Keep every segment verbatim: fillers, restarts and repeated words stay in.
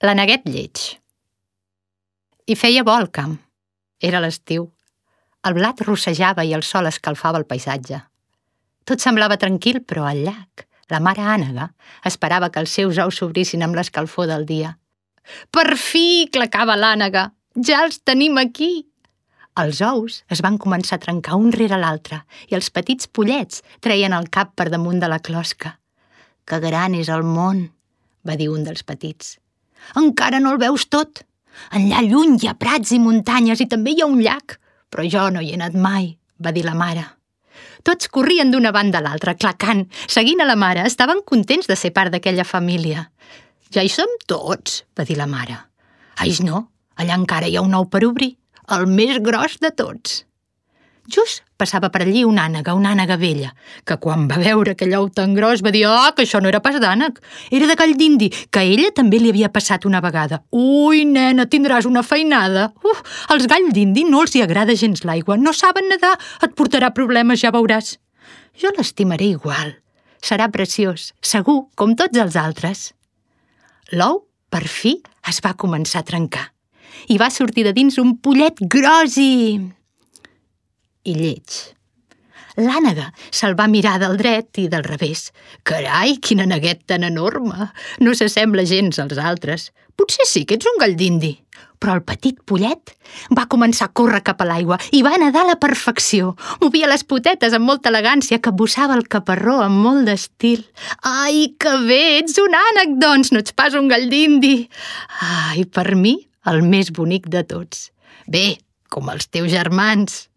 L'aneguet lleig. Hi feia bo al camp. Era l'estiu. El blat rossejava i el sol escalfava el paisatge. Tot semblava tranquil, però al llac, la mare ànega esperava que els seus ous s'obrissin amb l'escalfor del dia. «Per fi!» clacava l'ànega. «Ja els tenim aquí!» Els ous es van començar a trencar un rere l'altre i els petits pollets treien el cap per damunt de la closca. «Que gran és el món!» va dir un dels petits. «Encara no el veus tot. Enllà lluny hi ha prats i muntanyes i també hi ha un llac, però jo no hi he anat mai», va dir la mare. Tots corrien d'una banda a l'altra, clacant, seguint a la mare. Estaven contents de ser part d'aquella família. «Ja hi som tots», va dir la mare. «Ai, no, allà encara hi ha un ou per obrir, el més gros de tots». Just passava per allí una ànega, una ànega vella, que quan va veure aquell ou tan gros va dir «Ah, que això no era pas d'ànec, era de gall d'indi, que a ella també li havia passat una vegada. Ui, nena, tindràs una feinada. Uf, als galls d'indi no els hi agrada gens l'aigua, no saben nedar, et portarà problemes, ja veuràs». «Jo l'estimaré igual, serà preciós, segur, com tots els altres». L'ou, per fi, es va començar a trencar i va sortir de dins un pollet gros i... i lleig. L'ànega se'l va mirar del dret i del revés. «Carai, quin aneguet tan enorme! No s'assembla gens als altres. Potser sí que ets un gall d'indi». Però el petit pollet va començar a córrer cap a l'aigua i va nedar a la perfecció. Movia les potetes amb molta elegància, capbussava el caparró amb molt d'estil. «Ai, que bé! Ets un ànec, doncs! No ets pas un gall d'indi!» «Ai, per mi, el més bonic de tots. Bé, com els teus germans».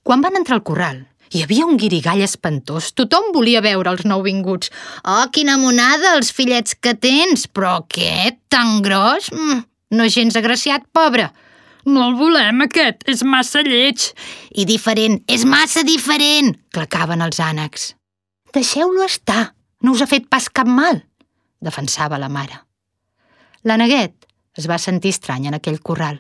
Quan van entrar al corral, hi havia un guirigall espantós. Tothom volia veure els nouvinguts. «Oh, quina monada, els fillets que tens! Però aquest, tan gros? Mm, no és gens agraciat, pobre!» «No el volem, aquest, és massa lleig!» «I diferent, és massa diferent!» clacaven els ànecs. «Deixeu-lo estar, no us ha fet pas cap mal!» defensava la mare. L'aneguet es va sentir estrany en aquell corral.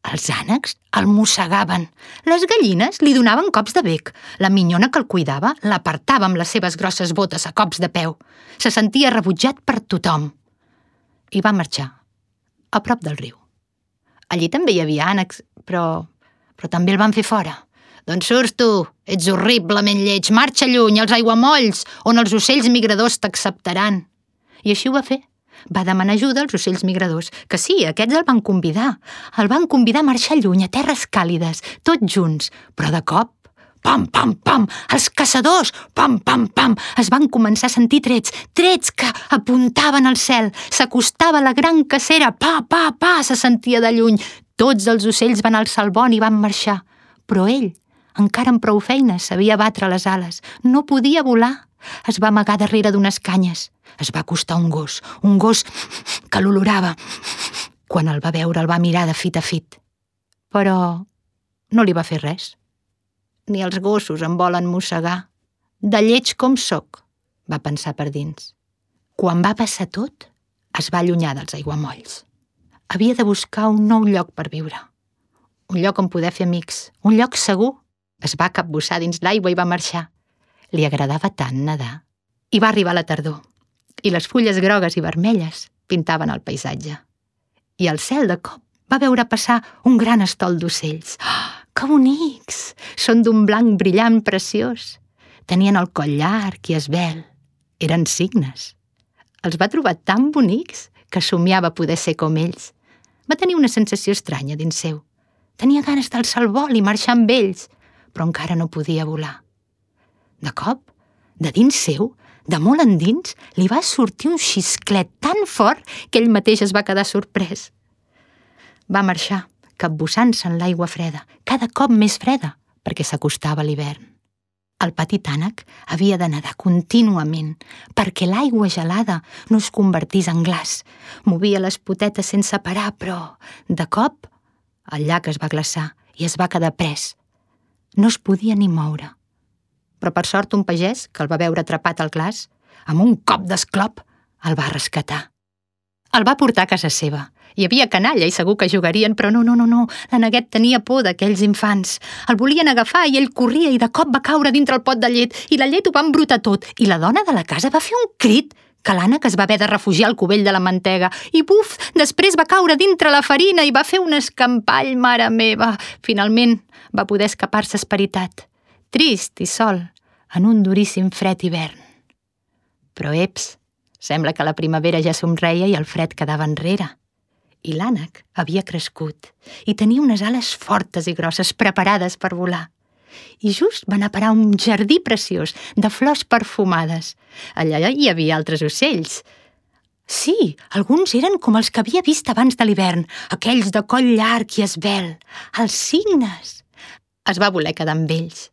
Els ànecs el mossegaven. Les gallines li donaven cops de bec. La minyona que el cuidava l'apartava amb les seves grosses botes a cops de peu. Se sentia rebutjat per tothom. I va marxar, a prop del riu. Allí també hi havia ànecs, però... però també el van fer fora. «D'on surts tu? Ets horriblement lleig. Marxa lluny, als aiguamolls, on els ocells migradors t'acceptaran». I així ho va fer. Va demanar ajuda als ocells migradors, que sí, aquests el van convidar. El van convidar a marxar lluny, a terres càlides, tots junts. Però de cop, pam, pam, pam, els caçadors, pam, pam, pam, es van començar a sentir trets, trets que apuntaven al cel. S'acostava la gran cacera, pa, pa, pa, se sentia de lluny. Tots els ocells van alçar el bon i van marxar. Però ell, encara amb prou feines, sabia batre les ales. No podia volar. Es va amagar darrere d'unes canyes. Es va acostar un gos, un gos que l'olorava. Quan el va veure el va mirar de fit a fit. Però no li va fer res. Ni els gossos em volen mossegar. De lleig com soc, va pensar per dins. Quan va passar tot, es va allunyar dels aiguamolls. Havia de buscar un nou lloc per viure. Un lloc on poder fer amics, un lloc segur. Es va capbussar dins l'aigua i va marxar. Li agradava tant nedar. I va arribar la tardor, i les fulles grogues i vermelles pintaven el paisatge. I el cel de cop va veure passar un gran estol d'ocells. Oh, que bonics! Són d'un blanc brillant preciós. Tenien el coll llarg i esvelt. Eren cignes. Els va trobar tan bonics que somiava poder ser com ells. Va tenir una sensació estranya dins seu. Tenia ganes d'alçar el vol i marxar amb ells, però encara no podia volar. De cop, de dins seu, de molt endins, li va sortir un xisclet tan fort que ell mateix es va quedar sorprès. Va marxar, capbussant-se en l'aigua freda, cada cop més freda, perquè s'acostava l'hivern. El petit ànec havia de nedar contínuament perquè l'aigua gelada no es convertís en glaç. Movia les potetes sense parar, però, de cop, el llac es va glaçar i es va quedar pres. No es podia ni moure. Però per sort un pagès, que el va veure atrapat al glaç, amb un cop d'esclop, el va rescatar. El va portar a casa seva. Hi havia canalla i segur que jugarien, però no, no, no, no. L'aneguet tenia por d'aquells infants. El volien agafar i ell corria i de cop va caure dintre el pot de llet i la llet ho va embrutar tot. I la dona de la casa va fer un crit que l'ànec es va haver de refugiar al cubell de la mantega i, buf, després va caure dintre la farina i va fer un escampall, mare meva. Finalment va poder escapar-se esperitat, trist i sol, en un duríssim fred hivern. Però, eps, sembla que la primavera ja somreia i el fred quedava enrere. I l'ànec havia crescut i tenia unes ales fortes i grosses preparades per volar. I just va anar a parar a un jardí preciós de flors perfumades. Allà hi havia altres ocells. Sí, alguns eren com els que havia vist abans de l'hivern, aquells de coll llarg i esvelt, els cignes. Es va voler quedar amb ells.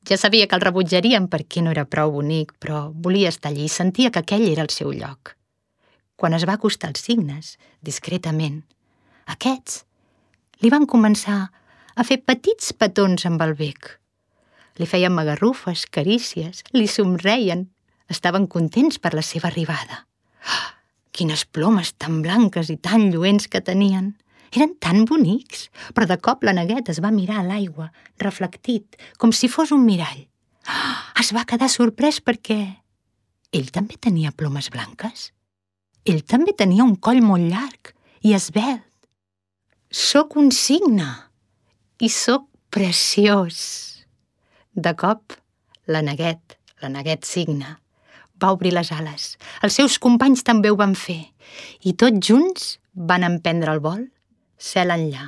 Ja sabia que el rebutjarien perquè no era prou bonic, però volia estar allí i sentia que aquell era el seu lloc. Quan es va acostar als cignes, discretament, aquests li van començar a fer petits petons amb el bec. Li feien magarrufes, carícies, li somreien. Estaven contents per la seva arribada. Oh, quines plomes tan blanques i tan lluents que tenien! Eren tan bonics, però de cop l'Aneguet es va mirar a l'aigua, reflectit, com si fos un mirall. Oh, es va quedar sorprès perquè ell també tenia plomes blanques. Ell també tenia un coll molt llarg i esvelt. Soc un cigne i soc preciós. De cop, l'Aneguet, l'Aneguet cigne, va obrir les ales. Els seus companys també ho van fer i tots junts van emprendre el vol cel enllà.